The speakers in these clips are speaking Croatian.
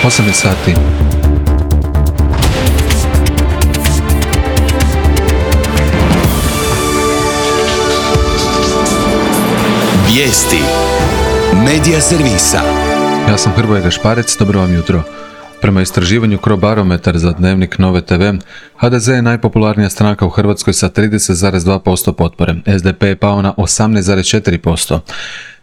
8 je sati. Vijesti Medija servisa. Ja sam Hrvoje Gašparec, dobro vam jutro. Prema istraživanju Crobarometar za dnevnik Nove TV, HDZ je najpopularnija stranka u Hrvatskoj sa 30,2% potpore. SDP je pao na 18,4%.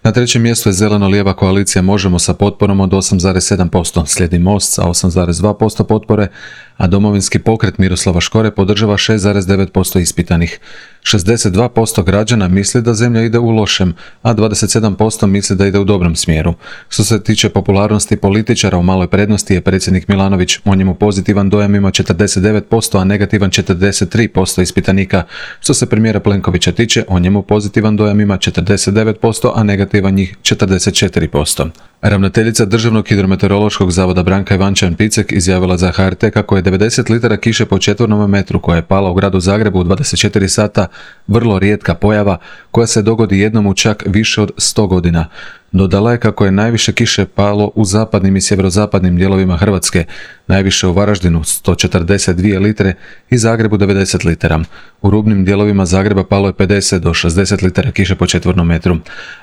Na trećem mjestu je zeleno-lijeva koalicija Možemo sa potporom od 8,7%, slijedi Most sa 8,2% potpore, a Domovinski pokret Miroslava Škore podržava 6,9% ispitanih. 62% građana misli da zemlja ide u lošem, a 27% misli da ide u dobrom smjeru. Što se tiče popularnosti političara, u maloj prednosti je predsjednik Milanović, o njemu pozitivan dojam ima 49%, a negativan 43% ispitanika. Što se premijera Plenkovića tiče, o njemu pozitivan dojam ima 49%, a negativan njih 44%. Ravnateljica Državnog hidrometeorološkog zavoda Branka Ivančan-Picek izjavila za HRT kako je 90 litara kiše po četvornom metru koja je pala u gradu Zagrebu u 24 sata vrlo rijetka pojava koja se dogodi jednom u čak više od 100 godina. Dodala je kako je najviše kiše palo u zapadnim i sjeverozapadnim dijelovima Hrvatske, najviše u Varaždinu 142 litre i Zagrebu 90 litara. U rubnim dijelovima Zagreba palo je 50 do 60 litara kiše po četvornom metru.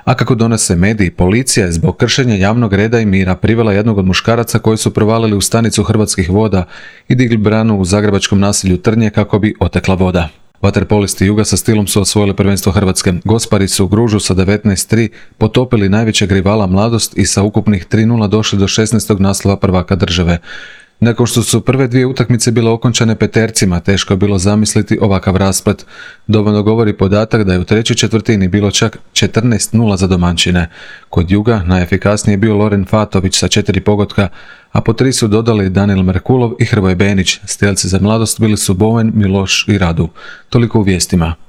A kako donose mediji, policija je zbog kršenja javnog reda i mira privela jednog od muškaraca koji su provalili u stanicu Hrvatskih voda i digli branu u zagrebačkom naselju Trnje kako bi otekla voda. Vaterpolisti Juga sa Stilom su osvojili prvenstvo Hrvatske. Gospari su u Gružu sa 19:3 potopili najvećeg rivala Mladost i sa ukupnih 3:0 došli do 16. naslova prvaka države. Nakon što su prve dvije utakmice bile okončane petercima, teško je bilo zamisliti ovakav rasplet. Dovoljno govori podatak da je u trećoj četvrtini bilo čak 14:0 za domaćine. Kod Juga najefikasniji je bio Loren Fatović sa 4 pogotka, a po 3 su dodali Danil Merkulov i Hrvoje Benić. Strijelci za Mladost bili su Boven, Miloš i Radu. Toliko u vijestima.